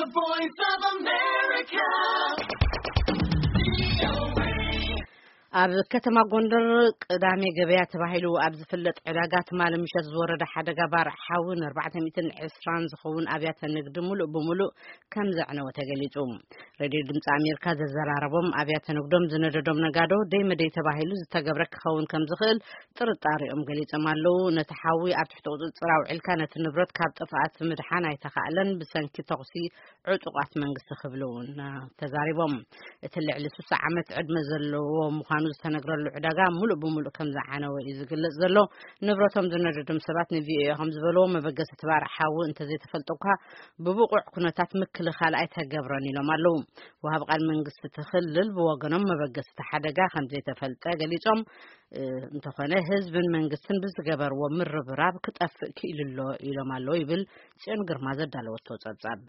The Voice of America. ኣብ ከተማ ጎንደር ቅዳሜ ገበያ ተባሂሉ ኣብ ዝፍለጥ ዕዳጋ ትማሊ ምሸት ዝወረደ ሓደጋ ባርዕ ሓዊ ንኣርባዕተ ሚእትን ዕስራን ዝኸውን ኣብያተ ንግዲ ሙሉእ ብሙሉእ ከም ዘዕነወ ተገሊጹ። ሬድዮ ድምፂ ኣሜሪካ ዘዘራረቦም ኣብያተ ንግዶም ዝነደዶም ነጋዶ ደይ መደይ ተባሂሉ ዝተገብረ ክኸውን ከም ዝኽእል ጥርጣሬኦም ገሊጾም ኣለዉ። ነቲ ሓዊ ኣብ ትሕቲ ቁፅፅር ኣውዒልካ ነቲ ንብረት ካብ ጥፍኣት ምድሓን ኣይተኻእለን፣ ብሰንኪ ተኹሲ ዕጡቓት መንግስቲ ክብሉ እውን ተዛሪቦም። እቲ ልዕሊ ስሳ ዓመት ዕድመ ዘለዎ ምዃኑ ዝተነግረሉ ዕዳጋ ሙሉእ ብሙሉእ ከም ዝዓነወ እዩ ዝግለጽ ዘሎ። ንብረቶም ዝነደዶም ሰባት ንቪኦኤ ከም ዝበልዎ፣ መበገሲ እቲ ባርዕ ሓዊ እንተዘይተፈልጠ እኳ ብብቑዕ ኩነታት ምክልኻል ኣይተገብረን ኢሎም ኣለዉ። ወሃብ ቃል መንግስቲ እቲ ክልል ብወገኖም፣ መበገሲ እቲ ሓደጋ ከም ዘይተፈልጠ ገሊጾም፣ እ፣ እንተኾነ ህዝብን መንግስትን ብዝገበርዎ ምርብራብ ክጠፍእ ክኢሉ ኣሎ ኢሎም ኣለዉ ይብል ጽዮን ግርማ ዘዳለወቶ ጸብጻብ።